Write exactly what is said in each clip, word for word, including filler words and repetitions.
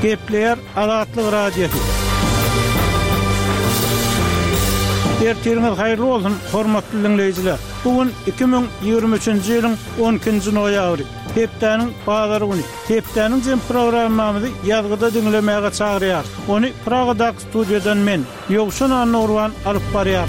Gepleýär Azatlyk Radiosy. Ertiriňiz haýyrly bolsun, hormatly diňleýjiler. Bu gün iki müň ýigrimi üçünji ýylyň on ikinji noýabry, hepdäniň bazar güni. Hepdäniň jem programmamyzy ýazgyda diňlemäge çagyrýar. Ony Pragadaky studiýadan men, Ýowşan Annagurban alyp barýar.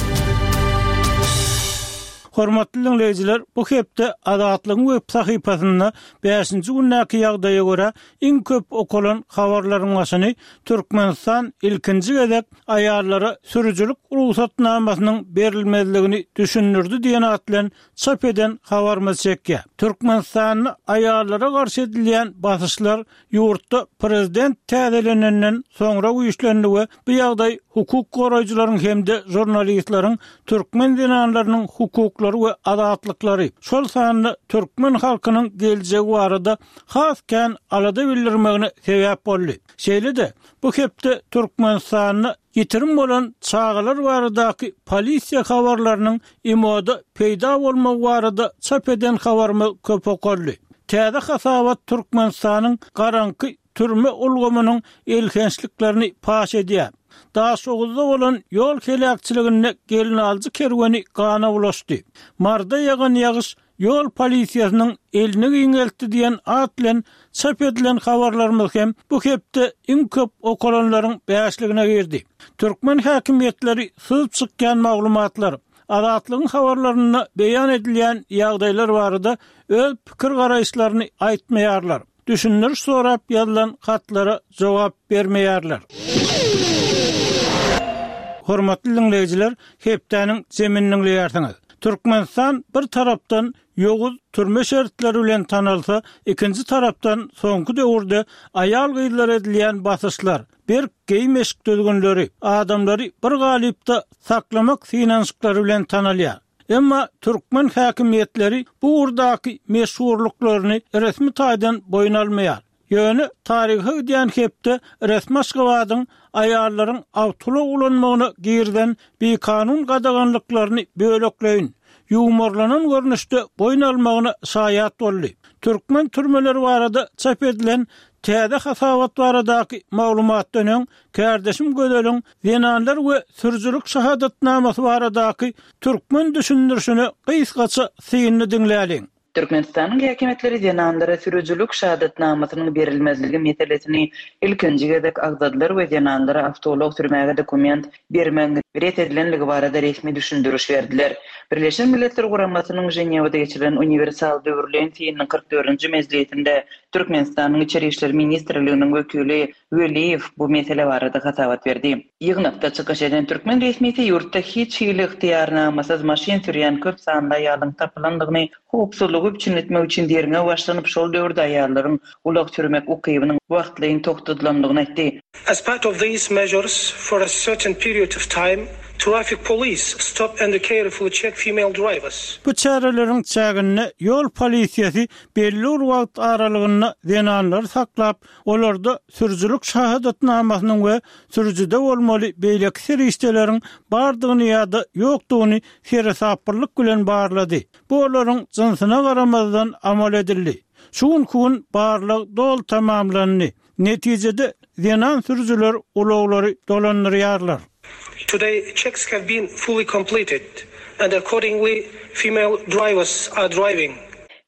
Hormatly diňleýjiler, bu hepde Azatlygyň web sahypasynda bäşinji gündäki ýagdaýa görä iň köp okalan habarlaryň başyny Türkmenistan ilkinji gezek aýallara sürüjilik rugsatnamasynyň berilmezligini düşündirdi diýen at bilen çap eden habarymyz çekýär. Türkmenistanda aýallara garşy edilýän basyşlar ýurtda prezident täzelenenden soňra güýçlendi we bu ýagdaý hukuk goraýjylaryň hem-de žurnalistleriň türkmen zenanlarynyň hukuklary we azatlyklary, şol sanda türkmen halkynyň geljegi barada has kän alada bildirmegine sebäp boldy. Şeýle-de bu hepde Türkmenistanda ýitirim bolan çagalar baradaky polisiýa habarlarynyň imoda peýda bolmagy barada çap eden habarymyz köp okaldy. Täze hasabat Türkmenistanyň garaňky türme ulgamynyň elhençliklerini paş edýär. Daşoguzda bolan ýol heläkçiliginde gelinaljy kerweni gana bulaşdy. Marda ýagan ýagyş ýol polisiýasynyň elini giňeltdi diýen at bilen çap edilen habarlarymyz hem bu hepde iň köp okalanlaryň bäşligine girdi. Türkmen häkimiýetleri syzyp çykýan maglumatlar, Azatlygyň habarlarynda beýan edilýän ýagdaýlar barada öz pikir garaýyşlaryny aýtmaýarlar. Düşündiriş sorap ýazylan hatlara jogap bermeýärler. Hormatly diňleýjiler, hepdäniň zemini diňleýärsiňiz. Türkmenistan bir tarapdan ýowuz türme şertleri bilen tanalsa, ikinji tarapdan soňky döwürde aýal-gyzlar edilýän basyşlar, berk geýim-eşik düzgünleri, adamlary bir galypda saklamak synanyşyklary bilen tanalýar. Emma türkmen häkimiýetleri bu ugurdaky meşhurlyklaryny resmi taýdan boýun almaýar. Ýöne taryha gidýän hepde resmi Aşgabadyň aýallaryň awtoulag ulanmagyna girden bikanun gadaganlyklaryny bölekleýin, ýuwmarlanan görnüşde boýun almagyna şaýat boldy. Türkmen türmeleri barada çap edilen täze hasabat baradaky maglumatdan öň kärdeşim Gözeliň zenanlar we sürüjilik şahadatnamasy baradaky türkmen düşündirişine gysgaça synyny diňläliň. Türkmenistanyň häkimiýetleri zenanlara sürüjilik şahadatnamasynyň berilmezligi meselesini ilkinji gezek agzadylar we zenanlara awtoulag sürmäge dokument bermegiň ret edilenligi barada resmi düşündiriş berdiler. Birleşen Milletler Guramasynyň Ženewada geçirilen uniwersal döwürleýin synynyň kyrk dördünji mejlisinde Türkmenistanyň Içeri işler ministrliginiň wekili Weliýew bu mesele barada hasabat berdi. Ýygnakda çykyş eden türkmen resmisi ýurtda hiç hili ygtyýarnamasyz maşyn sürýän köp sanly aýalyň tapylandygyny, howpsuzlygy üpjün etmek üçin derňew başlanyp, şol döwürde aýallaryň ulag sürmek ukybynyň wagtlaýyn togtadylandygyny aýtdy. As part of these measures, for a certain period of time, traffic police stop and carefully check female drivers. Bu çäreleriň çäginde ýol polisiýasy belli bir wagt aralygynda zenanlary saklap, olarda sürüjilik şahadatnamasynyň we sürüjide bolmaly beýleki serişdeleriň bardygyny ýa-da ýokdugyny seresaplylyk bilen barlady. Bu olaryň jynsyna garamazdan amal edildi. Şu günkü gün barlag doly tamamlandy. Netijede zenan sürüjiler ulaglary dolandyrýarlar. Today checks have been fully completed and accordingly female drivers are driving.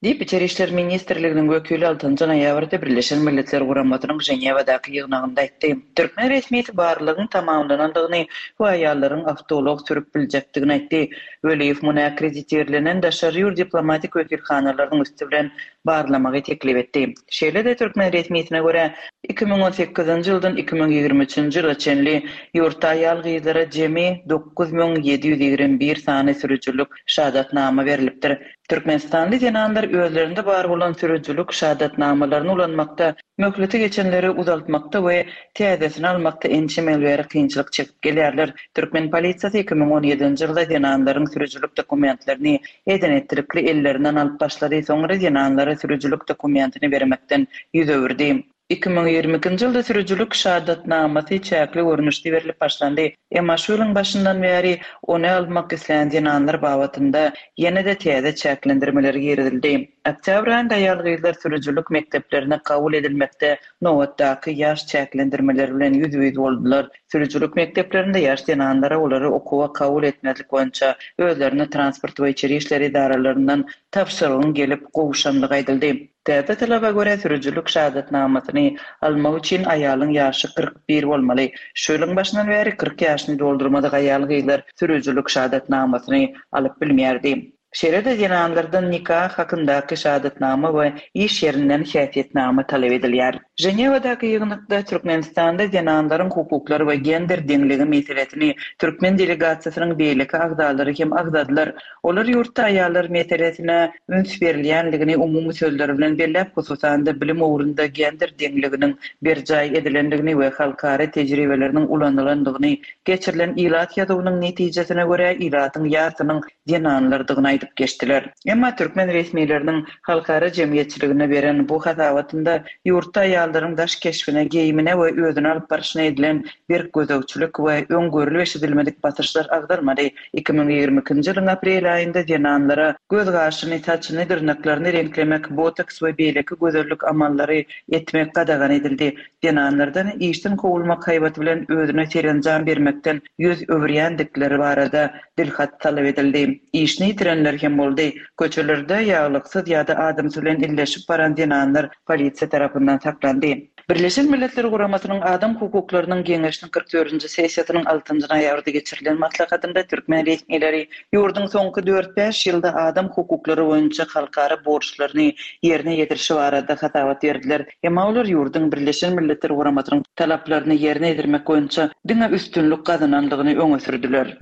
Diýip, Içeri işler ministrliginiň wekili altynjy noýabrda Birleşen Milletler Guramasynyň Ženewadaky ýygnagynda aýtdy. Türkmen resmisi barlagyň tamamlanandygyny we aýallaryň awtoulag sürüp biljekdigini aýtdy. Weliýew muny akkreditirlenen daşary ýurt diplomatik wekilhanalarynyň üsti bilen barlamagy teklip etdi. Şeýle-de türkmen resmisine görä iki müň on sekizinji ýyldan iki müň ýigrimi üçünji ýyla çenli ýurtda aýal-gyzlara jemi dokuz müň ýedi ýüz ýigrimi bir sany sürüjilik şahadatnama berilipdir. Türkmenistanly zenanlar özlerinde bar bolan sürüjilik şahadatnamalaryny ulanmakda, möhleti geçenleri uzaltmakda we täzesini almakda ençeme ýyl bäri kynçylyk çekip gelýärler. Türkmen polisiýasy iki müň on ýedinji ýylda zenanlaryň sürüjilik dokumentlerini eden etdilikli ellerinden alyp başlady, soňra zenanlara sürüjilik dokumentini bermekden ýüz öwürdi. Iki müň ýigrimi ikinji ýylda sürüjilik şahadatnamasy çäkli görnüşde berilip başlandy. Emma şu ýylyň başyndan bäri ony almak islän zenanlar babatynda ýene-de täze çäklendirmeler girizildi. Oktýabr aýynda aýal-gyzlar sürüjilik mekdeplerine kabul edilmekde nobatdaky ýaş çäklendirmeleri bilen ýüzbe-ýüz boldular. Sürüjilik mekdeplerinde ýaş zenanlara olary okuwa kabul etmezlik boýunça özlerine transport we içeri işler edaralaryndan tabşyrygyň gelip gowşandygy aýdyldy. Täze talaba görä, sürüjilik şahadatnamasyny almak üçin aýalyň ýaşy kyrk bir bolmaly. Şu ýylyň başyndan bäri kyrk ýaşyny doldurmadyk aýal-gyzlar sürüjilik şahadatnamasyny alyp bilmeýärdi. Şeýle-de zenanlardan nika hakyndaky şahadatnama we iş ýerinden häsiýetnama talap edilýär. Ženewadaky ýygnakda Türkmenistanda zenanlaryň hukuklary we gender deňligi meselesini türkmen delegasiýasynyň beýleki agzalary hem agzadylar. Olar ýurtda aýallar meselesine üns berilýänligini umumy sözler bilen belläp, hususan-da bilim ugrunda gender deňliginiň berjaý edilendigini we halkara tejribeleriniň ulanylandygyny, geçirilen ilat ýazuwynyň netijesine görä ilatyň ýarsynyň zenanlardygyny aýdyp geçdiler. Emma türkmen resmileriniň halkara jemgyýetçiligine beren bu hasabatynda ýurtda aýallaryň daş keşbine, geýimine we özüni alyp barşyna edilen berk gözegçilik we öň görlüp-eşidilmedik basyşlar agzalmady. Iki müň ýigrimi ikinji ýylyň aprel aýynda zenanlara göz-gaşyny, saçyny, dyrnaklaryny reňklemek, botoks we beýleki gözellik amallary etmek gadagan edildi. Zenanlardan işden kowulmak haýbaty bilen özüne serenjam bermekden ýüz öwürýändikleri barada dilhat talap edildi. Işini ýitirenler hem boldy. Köçelerde ýaglyksyz ýa-da adamsy bilen illeşip baran zenanlar polisiýa tarapyndan saklandy. Birleşen Milletler Guramasynyň Adam hukuklarynyň Geňeşiniň kyrk dördünji sessiýasynyň altynjy noýabrda geçirilen maslahatynda türkmen resmileri ýurduň soňky dört-bäş ýylda adam hukuklary boýunça halkara borçlaryny ýerine ýetirişi barada hasabat berdiler. Emma olar ýurduň Birleşen Milletler Guramasynyň talaplaryny ýerine ýetirmek boýunça diňe üstünlik gazanandygyny öňe sürdüler.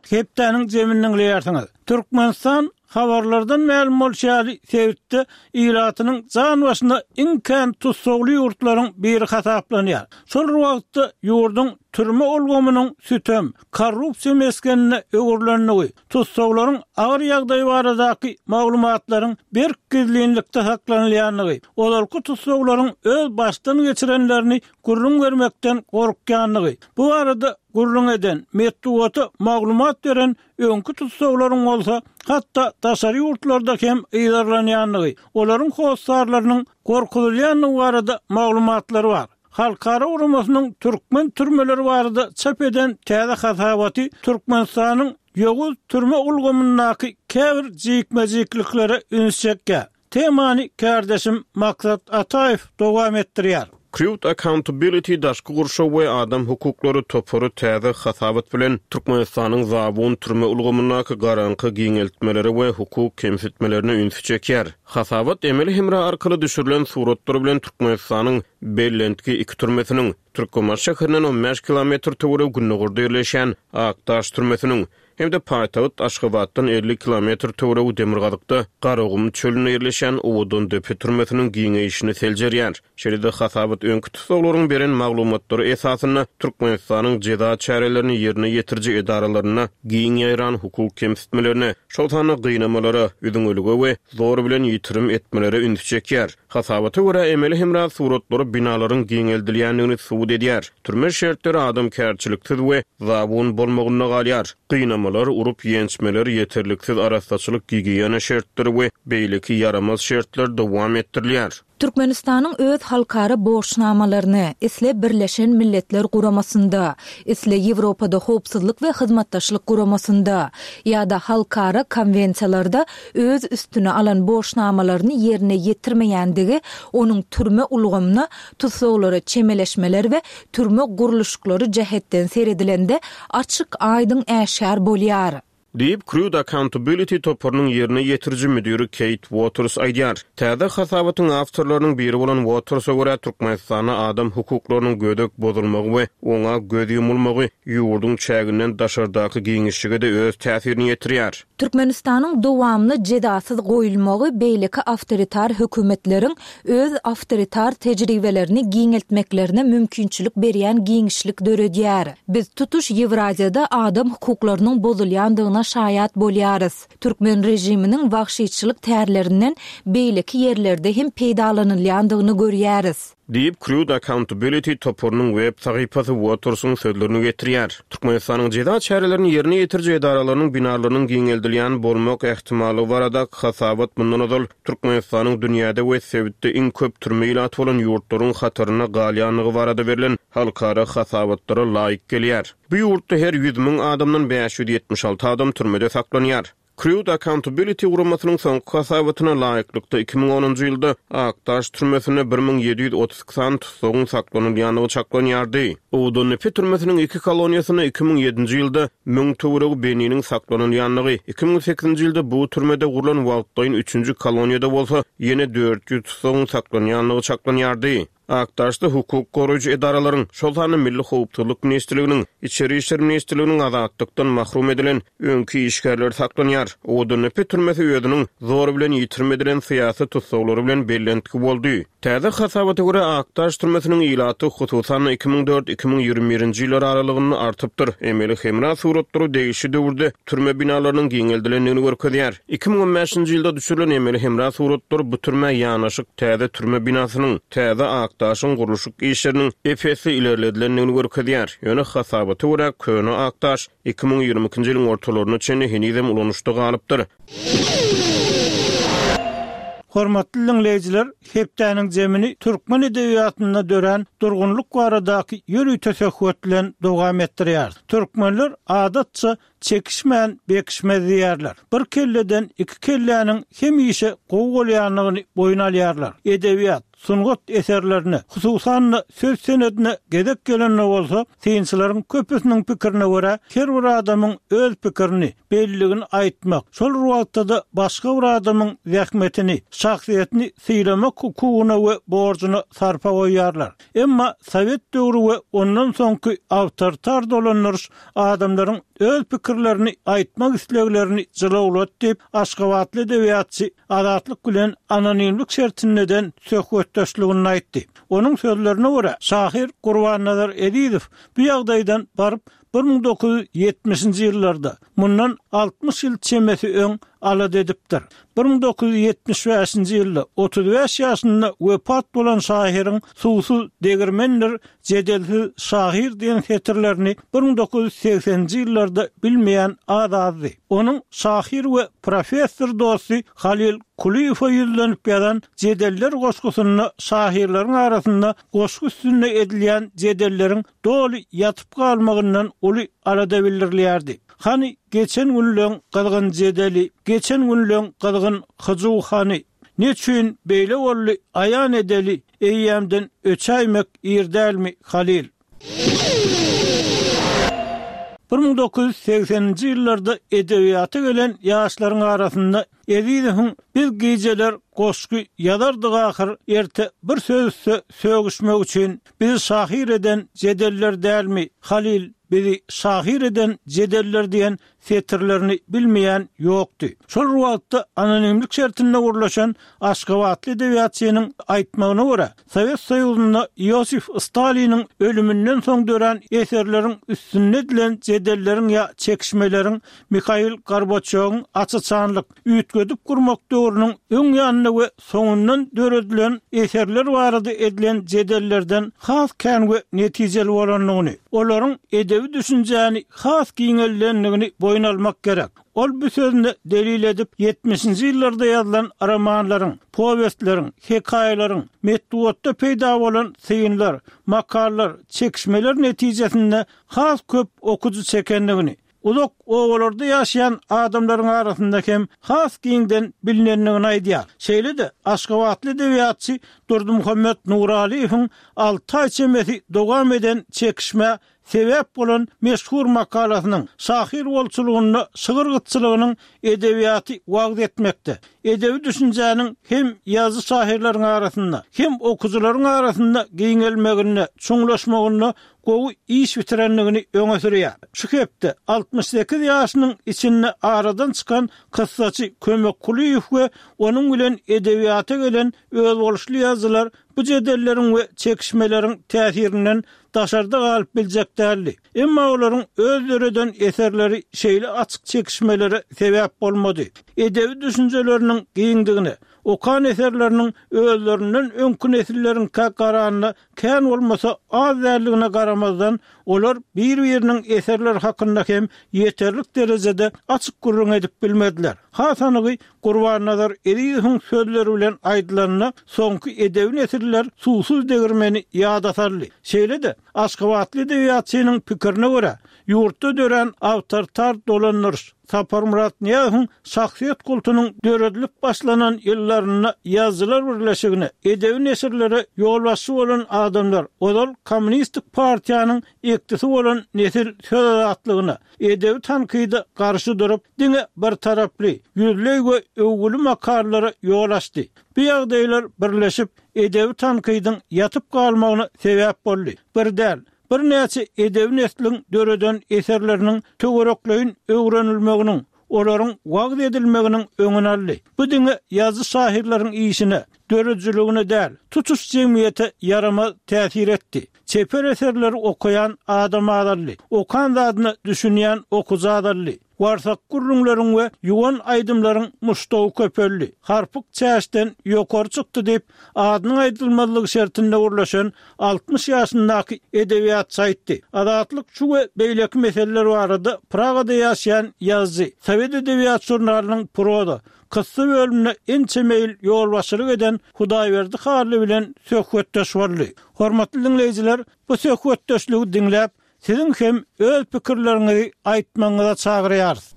Hepdäniň jemini diňleýärsiňiz. Türkmenistan habarlardan mälim bolşy ýaly sebitde ilatynyň jan başyna iň kän tussagly ýurtlaryň biri hasaplanýar. Şol bir wagtda ýurduň türme ulgamynyň sütem, korrupsiýa mesgenine öwrülendigi, tussaglaryň agyr ýagdaýy baradaky maglumatlaryň berk gizlinlikde saklanylýandygy, ozalky tussaglaryň öz başdan geçirenlerini gürrüň bermekden gorkýandygy, bu barada gürrüň eden, metbugata maglumat beren öňki tussaglaryň bolsa hatda daşary ýurtlarda hem yzarlanýandygy, olaryň hossarlarynyň gorkuzylýandygy barada maglumatlar bar. Halkara guramasynyň türkmen türmeleri barada çap eden täze hasabaty Türkmenistanyň ýowuz türme ulgamyndaky käbir jikme-jikliklere üns çekýär. Temany kärdeşim Maksat Ataýew dowam etdirýär. Crude Accountability daşky gurşaw we adam hukuklary topary täze hasabat bilen Türkmenistanyň zabun türme ulgamyndaky garaňky giňeltmelere we hukuk kemsitmelerine ünsi çekýär. Hasabat emeli hemra arkaly düşürilen suratlar bilen Türkmenistanyň bellentki iki türmesiniň Türkmenbaşy şäherinden on bäş kilometr töweregi gündogarda ýerleşen Akdaş türmesiniň hem-de paýtagt Aşgabatdan elli kilometr töweregi demirgazykda Garagum çölünde ýerleşen Owadandepe türmesiniň giňeýşini seljerýär. Şeýle-de hasabat öňki tussaglaryň beren maglumatlary esasynda Türkmenistanyň jeza çärelerini ýerine ýetiriji edaralarynda giň ýaýran hukuk kemsitmelerine, şol sanda gynamalara, üzüňelige we zor bilen ýitirim etmelere üns çekýär. Hasabata görä emeli hemra suratlary binalaryň giňeldilýändigini subut edýär. Türme şertleri adamkärçiliksiz we zabun bolmagynda galýar. Gynamalar, urup ýençmeler, ýeterliksiz arassaçylyk, gigiýena şertleri we beýleki ýaramaz şertler dowam etdirilýär. Türkmenistanyň öz halkara borçnamalaryny isle Birleşen Milletler Guramasynda, isle Ýewropada howpsuzlyk we hyzmatdaşlyk guramasynda ýa-da halkara konwensiýalarda öz üstüne alan borçnamalaryny ýerine ýetirmeýändigi onuň türme ulgamyna tussaglara çemeleşmeler we türme gurluşyklary jähetden seredilende açyk aýdyň äşgär bolýar. Diýip, Crude Accountability toparynyň ýerine ýetiriji müdiri Kate Waters aýdýar. Täze hasabatyň awtorlarynyň biri bolan Watersa görä Türkmenistanda adam hukuklarynyň gödek bozulmagy we oňa göz ýumulmagy ýurduň çäginden daşardaky giňişlige-de öz täsirini ýetirýär. Türkmenistanyň dowamly jezasyz goýulmagy beýleki awtoritar hökümetleriň öz awtoritar tejribelerini giňeltmeklerine mümkinçilik berýän giňişlik döredýär. Biz tutuş Ýewraziýada adam hukuklarynyň bozulýandygyna şaýat bolýarys. Türkmen režiminiň wagşyçylyk tärlerinden beýleki ýerlerde hem peýdalanylýandygyny görýäris. Diýip, Crude Accountability toparynyň web sahypasy Watersyň sözlerini getirýär. Türkmenistanyň jeza çärelerini ýerine ýetiriji edaralarynyň binalarynyň giňeldilýän bolmak ähtimallygy baradaky hasabat mundan ozal Türkmenistanyň dünýäde we sebitde iň köp türme ilaty bolan ýurtlaryň hatarynda galýandygy barada berlen halkara hasabatlara laýyk gelýär. Bu ýurtda her ýüz müň adamdan bäş ýüz ýetmiş alty adam türmede saklanýar. Crude Accountability guramasynyň soňky hasabatyna laýyklykda iki müň onunjy ýylda Akdaş türmesinde bir müň ýedi ýüz otuz iki sany tutsagyň saklanylýandygy çaklanýardy. Owadandepe türmesiniň iki koloniýasynda iki müň ýedinji ýylda müň töweregi bendiniň saklanylýandygy, iki müň sekizinji ýylda bu türmede gurlan wagtlaýyn üçünji koloniýada bolsa ýene dört ýüz tutsagyň saklanýandygy çaklanýardy. Akdaşda hukuk goraýjy edaralaryň, şol sanda Milli Howpsuzlyk Ministrliginiň, Içeri Işler Ministrliginiň azatlykdan mahrum edilen öňki işgärleri saklanýar. Owadandepe türmesi özüniň zor bilen ýitirim edilen syýasy tutsaglary bilen bellentgi boldy. Täze hasabata görä Akdaş türmesiniň ilaty hususan iki müň dört iki müň ýigrimi birinji ýyllar aralygynda artypdyr. Emeli hemra suratlary degişli döwürde türme binalarynyň giňeldilendigini görkezýär. Iki müň on bäşinji ýylda düşürilen emeli hemra suratlary bu türmä ýanaşyk täze türme binasynyň, täze Akdaşyň gurluşyk işleriniň ep-esli ilerledilendigini görkezýär. Ýöne hasabata görä köne Akdaş iki müň ýigrimi ikinji ýylyň ortalaryna çenli henizem ulanyşda galypdyr. Hormatly dinleýjiler, hepdäniň zemini türkmen edebiýatynda dörän durgunlyk baradaky ýörite söhbet bilen dowam etdirýär. Türkmenler adatça çekişmän bekişmez diýerler. Bir kelleden iki kelläniň hemişe gowy bolýandygyny boýun alýarlar. Edebiýat, sungat eserlerine, hususan söz senedine gezek gelende bolsa, synçylaryň köpüsiniň pikirine görä, her bir adamyň öz pikirini, belligini aýtmak, şol wagtda-da başga bir adamyň zähmetini, şahsyýetini sylamak hukugyna we borjuna sarpa goýarlar. Emma Sowet döwri we ondan soňky awtoritar dolandyryş adamlaryň öz pikirlerini aýtmak isleglerini jylawlat diýip, Aşgabatly edebiýatçy Azatlyk bilen anonimlik şertinden söhbetdeşligini aýtdy. Onuň sözlerine görä, şahyr Gurbannazar Ezizow bu ýagdaýdan baryp bir müň dokuz ýüz ýetmişinji ýyllarda, mundan altmyş ýyl çemesi öň alada edipdir. Bir müň dokuz ýüz ýetmiş bäşinji ýylda otuz bäş ýaşynda wepat bolan şahyryň Suwsuz degirmendir, jedelsiz şahyr diýen setirlerini bir müň dokuz ýüz segseninji ýyllarda bilmeýän az-azdy. Onuň şahyr we professor dosty Halil Kulyýewe ýüzlenip ýazan Jedeller goşgusynda şahyrlaryň arasynda goşgy üstünde edilýän jedelleriň doly ýatyp galmagyndan uly alada bildirilýärdi. Hany geçen günleň gyzgyn jedeli, geçen günleň gyzgyn hyjuw hany, neçün beýle boldy aýan edeli, eýýämden öçäýmek ir dälmi Halil? Bir müň dokuz ýüz segseninji ýyllarda edebiýata gelen ýaşlaryň arasynda Ezizowyň biz gijeler goşgy ýazardyk ahyr, erte bir söz üstü sögüşmek üçin bizi şahyr eden jedeller dälmi Halil, bizi şahyr eden jedeller diýen setirlerini bilmeýän ýokdy. Şol wagtda anonimlik şertinde gurlaşan Aşgabatly edebiýatçynyň aýtmagyna görä, Sowet Soýuzynda Iosif Staliniň ölüminden soň dörän eserleriň üstünde edilen jedelleriň ýa çekişmeleriň Mikhail Gorbaçýowyň açaçanlyk, üýtgedip gurmak döwrüniň öň ýanynda we soňundan döredilen eserler barada edilen jedellerden has kän we netijeli bolandygyny, olaryň edebi düşünjäni has giňeldendigini boýun almak gerek. Ol bu sözüni delil edip ýetmişinji ýyllarda ýazylan romanlaryň, powestleriň, hekaýalaryň, metbugatda peýda bolan synlar, makallar, çekişmeler netijesinde has köp okujy çekendigini, uzak obalarda ýaşaýan adamlaryň arasynda hem has giňden bilinendigini aýdýar. Şeýle-de Aşgabatly edebiýatçy Durdymuhammet Nuraliýewiň alty aý çemesi dowam eden çekişmä sebäp bolan meşhur makalasynyň şahyr bolçulygynda şygyr gytçylygynyň edebiýaty wagz etmekde, edebi düşünjäniň hem ýazyjy şahyrlaryň arasynda, hem okujylaryň arasynda giňelmeginde, çuňlaşmagynda gowy iş bitirendigini öňe sürýär. Şu hepde altmyş sekiz ýaşynyň içinde aradan çykan kyssaçy Kömek Kulyýew we onuň bilen edebiýata gelen özboluşly ýazyjylar bu jedelleriň we çekişmeleriň täsirinden daşarda galyp biljek däldi. Emma olaryň öz döreden eserleri şeýle açyk çekişmelere sebäp bolmady. Edebi düşünjeleriniň örüsiniň giňdigine, okan eserleriniň özlerinden öňki nesilleriňkä garanda kän bolmasa az däldigine garamazdan, olar bir-biriniň eserleri hakynda hem ýeterlik derejede açyk gürrüň edip bilmediler. Has anygy Gurbannazar Ezizowyň sözleri bilen aýdylanda, soňky edebi nesiller suwsuz degirmeni ýada saldy. Şeýle-de, aşgabatly edebiýatçynyň pikirine görä, ýurtda dörän awtoritar dolandyryş, Saparmyrat Nyýazowyň şahsyýet kultunyň döredilip başlanan ýyllarynda Ýazyjylar birleşigine, edebi neşirlere ýolbaşçy bolan adamlar, ozal Kommunistik partiýanyň ekdisi bolan nesil söz azatlygyna, edebi tankyda garşy durup, diňe birtaraply, ýüzleý we öwgüli makalalara ýol açdy. Bu ýagdaýlar birleşip, edebi tankydyň ýatyp galmagyna sebäp boldy. Bir däl, birnäçe edebi nesliň döreden eserleriniň töwerekleýin öwrenilmeginiň, olaryň wagyz edilmeginiň öňüni aldy. Bu diňe ýazyjy-şahyrlaryň işine, döredijiligine däl, tutuş jemgyýete ýaramaz täsir etdi. Çeper eserleri okaýan adam azaldy. Okan zadyna düşünýän okyjy azaldy. Warsak gürrüňleriň we ýuwan aýdymlaryň muşdagy köpeldi. Harpyk çäşden ýokary çykdy diýip, adynyň aýdylmazlygy şertinde gürleşen altmyş ýaşyndaky edebiýatçy aýtdy. Azatlyk şu we beýleki meseleler barada Pragada ýaşaýan ýazyjy, Sowet edebiýat žurnalynyň proza, kyssa bölümine ençeme ýyl ýolbaşçylyk eden Hudaýberdi Hally bilen söhbetdeş boldy. Hormatly diňleýjiler, bu söhbetdeşligi diňläp, Siziň hem öz pikirleriňizi aýtmagyňyza çagyrýarys.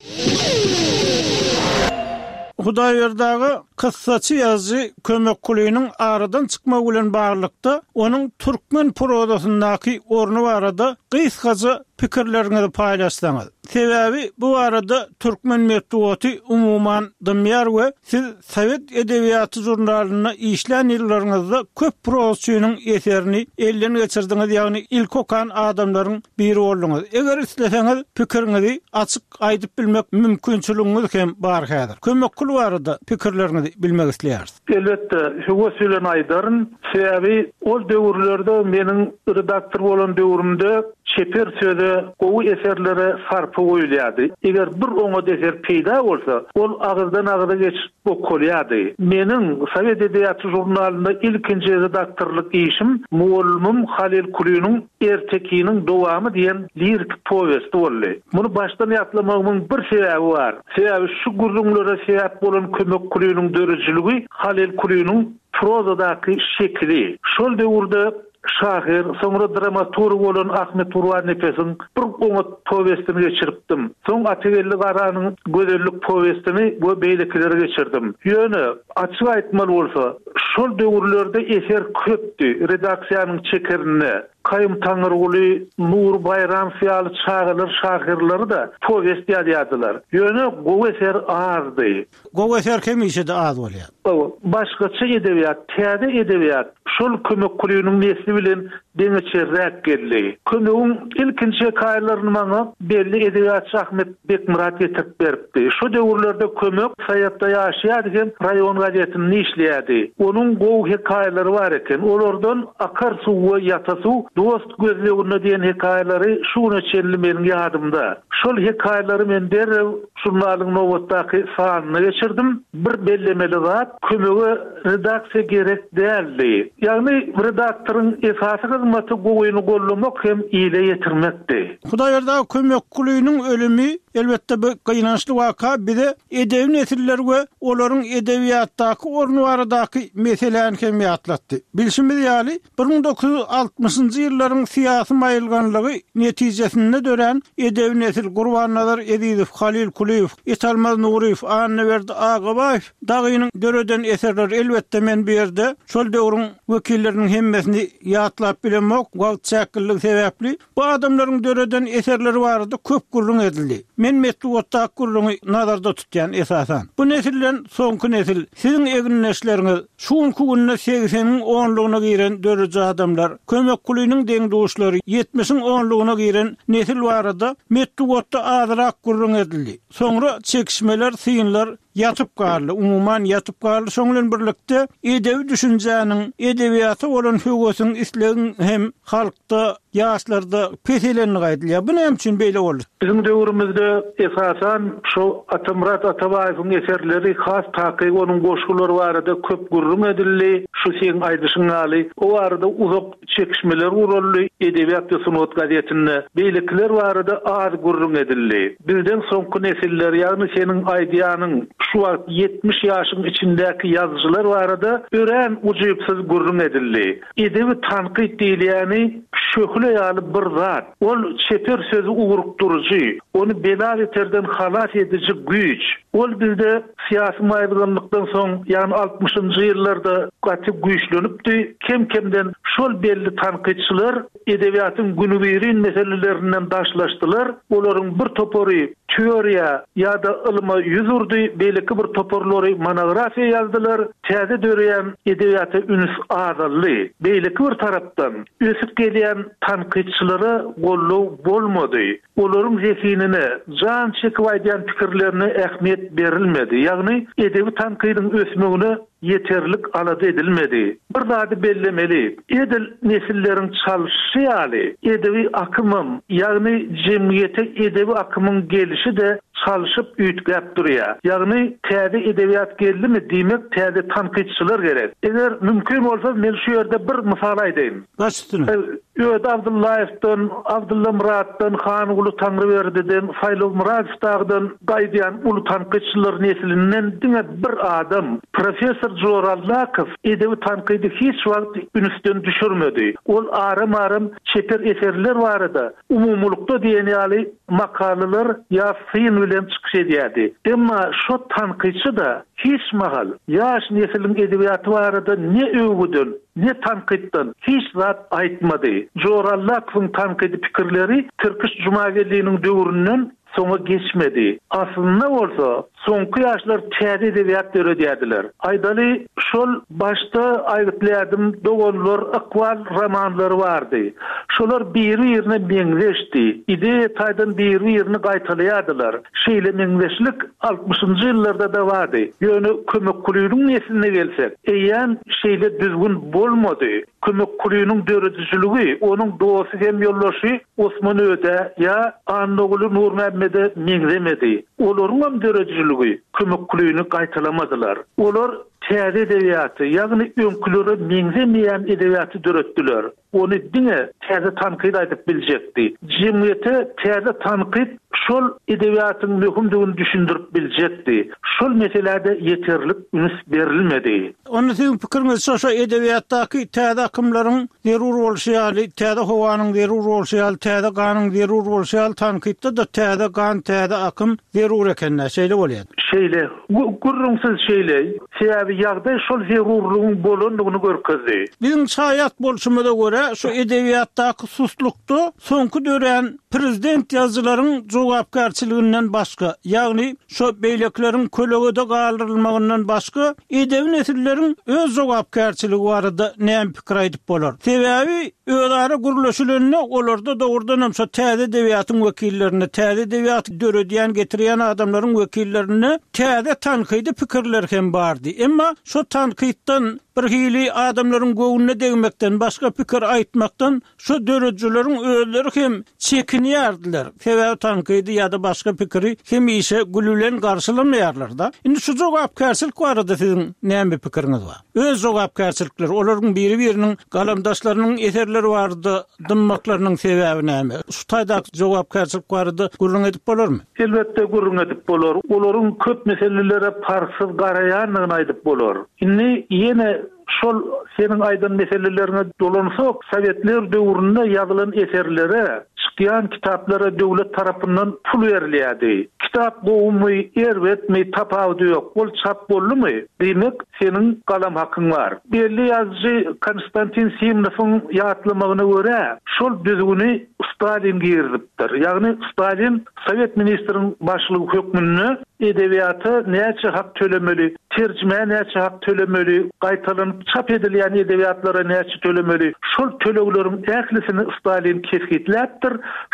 Hudaýberdi aga kyssaçy ýazyjy Kömek Kulynyň aradan çykmagy bilen baglylykda, onuň türkmen prozasyndaky orny barada gysgaça pikirleriňizi paýlaşsaňyz. Sebäbi bu barada türkmen metbugaty umuman dymýar we siz Sowet edebiýaty žurnalynda işlän ýyllaryňyzda köp prozaçynyň eserini elden geçirdiňiz, ýagny ilki okan adamlaryň biri bolduňyz. Eger isleseňiz, pikiriňizi açyk aýdyp bilmek mümkinçiligiňiz hem bar häzir. Kömek Kul barada pikirleriňizi bilmek isleýäris. Elbetde, höwes bilen aýdaryn. Sebäbi ol döwürlerde meniň redaktor bolan döwrümde çeper söze, gowy eserlere sarpa goýulýardy. Eger bir oňat eser peýda bolsa, ol agyzdan-agyza geçip okalýardy. Meniň Sowet edebiýaty žurnalynda ilkinji redaktorlyk işim mugallymym Halyl Kulynyň Ertekiniň dowamy diýen liriki powesti boldy. Muny başdan ýatlamagymyň bir sebäbi bar. Sebäbi şu gürrüňlere sebäp bolan Kömek Kulynyň döredijiligi Halyl Kulynyň prozadaky şekili. Şol döwürde şahyr, soňra dramaturg bolan Ahmet Gurbannepesiň bir oňat powestini geçiripdim. Soň Atageldi Garanyň Gözellik powestini we beýlekileri geçirdim. Ýöne, açyk aýtmaly bolsa, şol döwürlerde eser köpdi, redaksiýanyň çekerinde Kaýum Taňyrguly, Nury Baýramow ýaly çagalar şahyrlary-da powest ýazýardylar. Ýöne gowy eser azdy. Gowy eser hemişe-de az bolýar. Hawa, başgaça edebiýat, täze edebiýat şol Kömek Kulynyň nesli bilen deňeçerräk geldi. Kömegiň ilkinji hekaýalaryny maňa belli edebiýatçy Ahmet Bekmyrat getirip beripdi. Şo döwürlerde Kömek Saýatda ýaşaýardy hem raýon gazetinde işleýärdi. Onuň gowy hekaýalary bar eken. Olardan Akar suw we Ýata suw, Dost gözleginde diýen hekaýalary şu güne çenli meniň ýadymda. Şol hekaýalary men derrew Žurnalyň nobatdaky sanyna geçirdim. Bir bellemeli zat, kömege redaksiýa gerek däldi. Ýagny redaktoryň esasy hyzmaty gowyny gollamak hem ile ýetirmekdi. Hudaýberdi aga Kömekgulynyň ölümi, elbetde bu gynançly waka bize edebi nesiller we olaryň edebiýatdaky orny baradaky meseläni hem ýatlatdy. Bilşimiz ýaly, bir müň dokuz ýüz altmyşynjy ýyllaryň syýasy maýylganlygy netijesinde dörän edebi nesil Gurbannazar Ezizow, Halyl Kulyýew, Italmaz Nuryýew, Annaberdi Agabaýew dagynyň döreden eserleri, elbetde men bu ýerde şol döwrüň wekilleriniň hemmesini ýatlap bilemok, wagt çäkliligi sebäpli, bu adamlaryň döreden eserleri barada köp gürrüň edildi. Men metbugatdaky gürrüňi nazarda tutýan esasan. Bu nesilden soňky nesil, siziň egindeşleriňiz, şu günki günde segseniň onlugyna giren dörüji adamlar, Kömek Kulynyň deň-duşlary, ýetmişiň onlugyna giren nesil barada metbugatda azrak gürrüň edildi. Soňra çekişmeler, synlar ýatyp galdy. Umuman ýatyp galdy. Şoň bilen birlikde edebi düşünjäniň, edebiýata bolan höwesiň, islegiň hem halkda, ýaşlarda peselenligi aýdylýar. Bu näme üçin beýle boldy? Biziň döwrümizde esasan şu Atamyrat Atabaýewiň eserleri, has takyk onuň goşgulary barada köp gürrüň edildi. Şu seň aýdyşyň ýaly, o barada uzak çekişmeler guraldy Edebiýat we sungat gazetinde. Beýlekiler barada az gürrüň edildi. Bizden soňky nesiller, ýagny seniň aýdýanyň şu wagt ýetmiş ýaşyň içindäki ýazyjylar barada örän ujypsyz gürrüň edildi. Edebi tankyt diýilýäni şöhle ýaly bir zat. Ol çeper sözi ugrukdyryjy, ony bela-beterden halas ediji güýç. Ol bizde syýasy maýylganlykdan soň, ýagny altmyşynjy ýyllarda gaty güýçlenipdi. Kem-kemden şol belli tankytçylar edebiýatyň günübirin meselelerinden daşlaşdylar. Olaryň bir topary teoriýa ýa-da ylma ýüz urdy, beýleki bir toparlary monografiýa ýazdylar. Täze döreýän edebiýata üns azaldy. Beýleki bir tarapdan ösüp gelýän tankytçylara goldaw bolmady. Olaryň zehinine, jan çekip aýdýan pikirlerine ähmiýet berilmedi. Ýagny edebi tankydyň ösmegine ýeterlik alada edilmedi. Bir zady bellemeli, edil nesilleriň çalşyşy ýaly edebi akymam, ýagny jemgyýete edebi akymyň gelişi-de çalşyp üýtgäp durýar. Ýagny täze edebiýat geldimi, diýmek täze tankytçylar gerek. Eger mümkin bolsa men şu ýerde bir mysal aýdaýyn. Baş üstüne. Öde Abdullaýewden, Abdulla Muratdan, Hanguly Taňryberdi'den, Saýlaw Muradowdan gaýdýan uly tankytçylar neslinden diňe bir adam, Professor Jorallakow edebi tankydy hiç wagt ünsden düşürmedi. Ol aram-aram çeper eserler barada umumulykda diýen ýaly makalalar ýa syn bilen çykyş edýärdi. Emma şu tankytçy da hiç mahal ýaş nesliň edebiýaty barada ne öwgüden, ne tankytdan hiç zat aýtmady. Jorallakowyň tankydy pikirleri Tirkiş Jumageldi'niň döwründen soňa geçmedi. Aslynda bolsa soňky ýaşlar täze edebiýat döredýärdiler. Aýdaly şol başda aýgytlaýardym doganlar, ykbal romanlary bardy. Şolar biri-birine meňzeşdi. Ideýa taýdan biri-birini gaýtalaýardylar. Şeýle meňzeşlik altmyşynjy ýyllarda da bardy. Ýöne Kömek Kulynyň nesline gelsek, eýýäm şeýle düzgün bolmady. Kömek Kulynyň döredijiligi, onuň dosty hem ýoldaşy Osman Öde ýa Annaguly Nurmämmede meňzemedi. Olaryň hem döredijiligi Kömek Kulyny gaýtalamadylar. Olar täze edebiýaty, ýagny öňkülere meňzemeýän edebiýaty döretdiler. Ony diňe täze tankyt aýdyp biljekdi. Jemgyýete täze tankyt şol edebiýatyň möhümdigini düşündirip biljekdi. Şol meselede ýeterlik üns berilmedi. Onda siziň pikiriňiz şo şo edebiýatdaky täze akymlaryň zerur bolşy ýaly, täze howanyň zerur bolşy ýaly, täze ganyň zerur bolşy ýaly tankytda da täze gan, täze akym zerur ekenler, şeýle bolýar. Şeýle, gürrüňsiz şeýle. Sebäbi ýagdaý şol zerurlygyň bolandygyny görkezdi. Biziň şaýat bolşumyza görä, şu edebiýatdaky suslukda soňky dörän prezident ýazyjylaryň jogapkärçiliginden başga, ýagny şu beýlekleriň kölegede galdyrylmagyndan başga edebi nesilleriň öz jogapkärçiligi barada näme pikir aýdyp bolar? Sebäbi özara gürleşileninde olarda dogrudan hem şu täze edebiýatyň wekillerine, täze edebiýaty döredýän, getirýän adamlaryň wekillerine täze tankydy pikirler hem bardy. Emma şu tankytdan bir hili adamlaryň göwnüne degmekden başga pikir aýtmakdan şu döredijileriň özleri hem çekinýärdiler. Sebäbi tankydy ýa-da başga pikiri hemişe gül bilen garşylamaýarlar da. Indi şu jogapkärçilik barada siziň näme pikiriňiz bar? Öz jogapkärçilikleri, olaryň biri-biriniň galamdaşlarynyň eserleri barada dymmaklarynyň sebäbi näme? Şu taýdaky jogapkärçilik barada gürrüň edip bolarmy? Elbetde gürrüň edip bolar. Olaryň köp meselelere parhsyz garaýandygyny aýdyp bolar. Indi ýene şol seniň aýdan meselelerine dolansak, Sowetler döwründe ýazylan eserlere, çykýan kitaplara döwlet tarapyndan pul berilýärdi. Kitap gowumy, erbetmi, tapawudy ýok. Ol çap boldumy? Diýmek, seniň galam hakyň bar. Belli ýazyjy Konstantin Simnowyň ýatlamagyna görä, şol düzgüni Stalin girizipdir. Ýagny Stalin Sowet ministriň başlygy hökmünde edebiýata näçe hak tölemeli, terjimä näçe hak tölemeli, gaýtalanyp çap edilýän edebiýatlara näçe tölemeli, şol tölegleriň ählisini Stalin kesgitläpdir.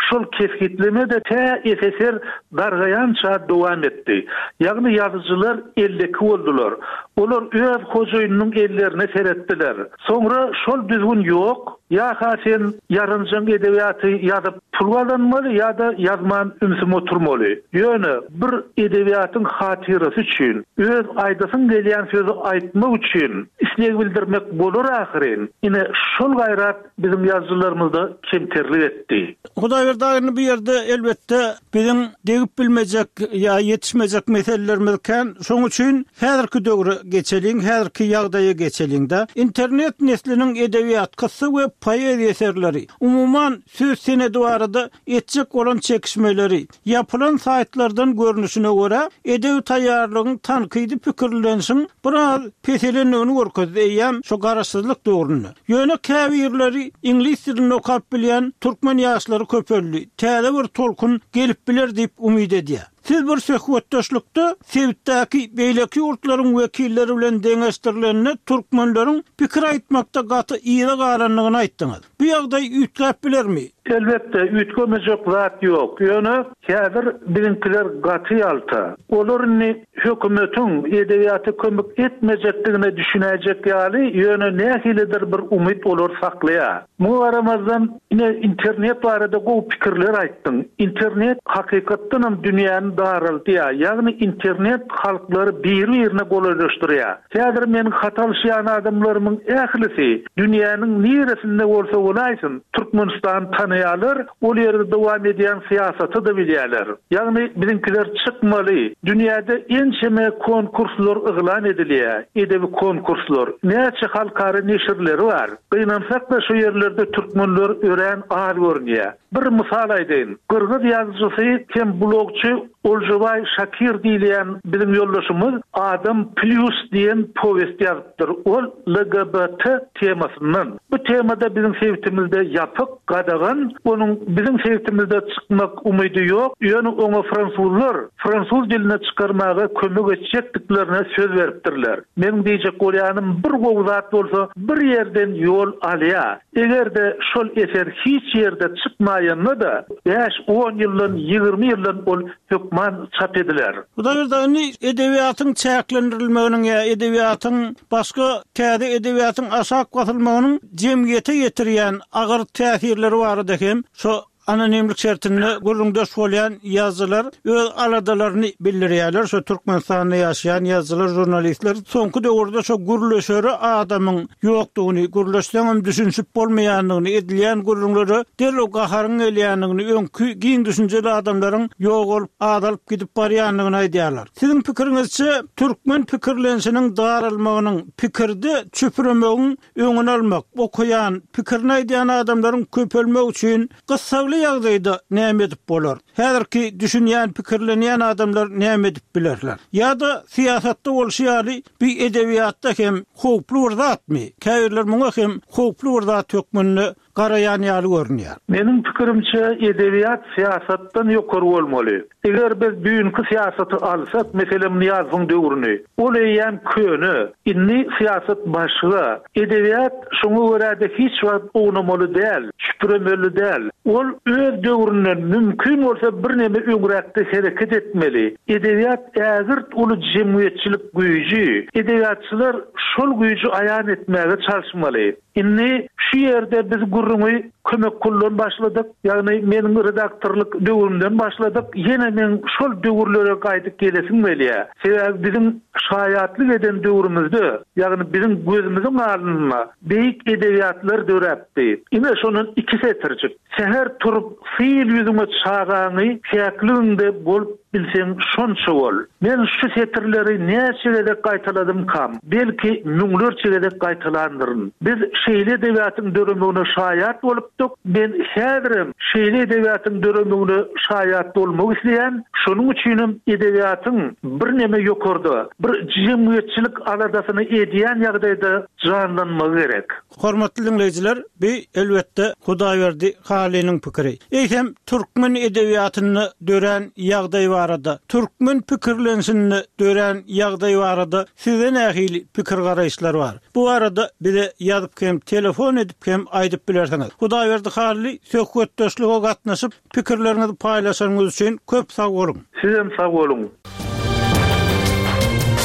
Şol kesgitleme de tä S S R dargaýança dowam etdi. Ýagny ýazyjylar elleki boldular. Olar öz hojaýynynyň ellerine seretdiler. Soňra şol düzgün ýok. Ýa-ha sen ýarynjaň edebiýaty ýazyp pul gazanmaly ýa-da ýazman ümsüm oturmaly. Ýöne bir edebiýatyň hatyrasy üçin, öz aýdasyň gelýän sözi aýtmak üçin isleg bildirmek bolar ahyryn. Ine şol gaýrat biziň ýazyjylarymyzda kemterlik etdi. Hudaýberdi aga, bu ýerde elbetde biziň degip bilmejek ýa ýetişmejek meselelerimiz kän. Şonuň üçin häzirki döwre geçeliň, häzirki ýagdaýa geçeliň-de. Internet nesliniň edebiýat, kyssa we poeziýa eserleri, umuman söz senedi barada etjek bolan çekişmeleri, ýapylan saýtlardan görnüşine görä edebi taýýarlygyň tankydy pikirlenişiň biraz peselendigini görkezdi eýýäm şu garaşsyzlyk döwründe. Ýöne käbirleri iňlis dilini okap bilýän türkmen ýaşlary köpeldi. Täze bir tolkun gelip biler diýip umyt edýär. Siz bir söhbetdeşlikde sebitdäki beýleki ýurtlaryň wekilleri bilen deňeşdirilende türkmenleriň pikir aýtmakda gaty yza galandygyny aýtdyňyz. Bu ýagdaý üýtgäp bilermi? Elbetde üýtgemejek zat ýok. Ýöne häzir biziňkiler gaty ýalta. Olar indi hökümetiň edebiýata kömek etmejekdigine düşünäýjek ýaly, ýöne nähilidir bir umyt olar saklaýar. Muňa garamazdan ine internet barada gowy pikirler aýtdyň. Internet hakykatdan hem dünýäni daraldýar. Ýagny internet halklary bir-birine golaýlaşdyrýar. Häzir meniň hat alyşýan adamlarymyň ählisi dünýäniň niresinde bolsa bolaýsyn, Türkmenistan tanaýarlar, ol ýerde dowam edýän syýasaty da bilýärler. Ýagny biziňkiler çykmaly. Dünýäde ençeme konkurslar yglan edilýär, edebi konkurslar. Näçe halkara neşirleri bar. Gynansak da şu ýerlerde türkmenler örän az görünýär. Bir mysal aýdaýyn. Gyrgyz ýazyjysy hem blogçy Olžobaý Şakir diýilýän biziň ýoldaşymyz Adam Plus diýen powest ýazypdyr. Ol L G B T temasyndan. Bu temada biziň sebitimizde ýapyk, gadagan, onuň biziň sebitimizde çykmak umydy ýok. Ýöne oňa fransuzlar fransuz diline çykarmaga kömek etjekdiklerine söz beripdirler. Meniň diýjek bolýanym bir gowy zat bolsa bir ýerden ýol alýar. Eger-de şol eser hiç ýerde çykmaýanda da beş on ýyldan ýigrimi ýyldan ol hökman çap ediler. Hudaýberdi indi edebiýatyň çäklendirilmeginiň ýa edebiýatyň başga täze edebiýatyň aşak basylmagynyň jemgyýete ýetirýän agyr täsirleri barada hem şo anonimlik şertinde gürrüňdeş bolýan ýazyjylar öz aladalaryny bildirýärler. Şo Türkmenistanda ýaşaýan ýazyjylar, jurnalistler soňky döwürde şo gürleşere adamyň ýokdugyny, gürleşseňem düşünşip bolmaýandygyny, edilýän gürrüňlere derrew gaharyň gelýändigini, öňki giň düşünjeli adamlaryň ýok bolup, azalyp gidip barýandygyny aýdýarlar. Siziň pikiriňizçe türkmen pikirlenişiniň daralmagynyň, pikirde çüpüremegiň öňüni almak, okaýan, pikirini aýdýan adamlaryň köpelmegi üçin gyssagly ýagdaýda näme edip bolar? Häzirki düşünýän, pikirlenýän adamlar näme edip bilerler? Ýa-da syýasatda bolşy ýaly bir edebiýatda hem howply bir zatmy? Käbirler muňa hem howply bir zat hökmünde garaýan ýaly görünýär. Meniň pikirimçe edebiýat syýasatdan ýokary bolmaly. Eger biz düýnki syýasaty alsak, meselem Nyýazowyň döwrüni, ol eýýäm köne, indi syýasat başga. Edebiýat şoňa görä de hiç wagt ownamaly däl, çüpüremeli däl. Ol öz döwründen mümkin bolsa bir neme öňräkde hereket etmeli. Edebiýat ägirt uly jemgyýetçilik güýji. Edebiýatçylar şol güýji aýan etmäge çalyşmaly. Indi şu ýerde biz gürrüňi kömek kullan başladyk. Ýagny meniň redaktorlyk döwrümden başladyk. Ýene men şol döwürlere gaýdyp gelesim gelýär. Sebäbi biziň şaýatlyk eden döwrümizde, ýagny biziň gözümiziň alnynda beýik edebiýatlar döräpdi. Ine şonun iki setirjik. Seher turup sil ýüzüňe çagaňy päkligiňde bolup bilseň şonça bol. Men şu setirleri näçe gezek gaýtaladym kam, belki müňlerçe gezek gaýtalandyryn. Biz şeýle edebiýatyň döremegine şaýat bolupdyk. bolupdyk. Men häzirem şeýle edebiýatyň döremegine şaýat bolmak isleýän. Şonuň üçinem edebiýatyň birneme ýokarda, bir jemgyýetçilik aladasyny edýän ýagdaýda janlanmagy gerek. Hormatly diňleýjiler, bi elbetde Hudaýberdi Halynyň pikiri. Eýsem türkmen edebiýatynda dörän ýagdaý barada, türkmen pikirlenişinde dörän ýagdaý barada size nähili pikir garaýyşlar bar? Bu arada bize ýazyp hem telefon edip hem aýdyp bilersiňiz. Hudaýberdi Hally söhbetdeşlige gatnaşyp pikirleriňizi paýlaşanyňyz üçin köp sag boluň. Sizem sag boluň.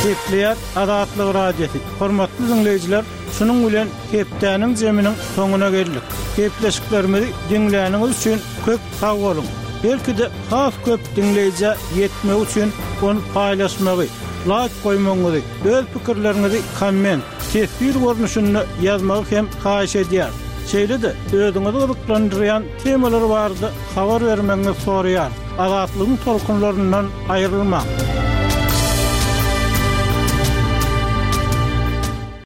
Gepleýär Azatlyk Radiosy. Hormatly dinleýjiler, şunuň bilen hepdäniň zeminiň soňuna geldik. Gepleşiklerimizi diňläniňiz üçin köp sag boluň. Belki-de has köp dinleýjä ýetmek üçin ony paýlaşmagy, like goýmagyňyzy, öz pikirleriňizi komment, teswir görnüşinde ýazmagy hem haýyş edýär. Şeýle-de özüňizi gyzyklandyrýan temalar barada habar bermegiňizi soraýar. Azatlygyň tolkunlaryndan aýrylmaň.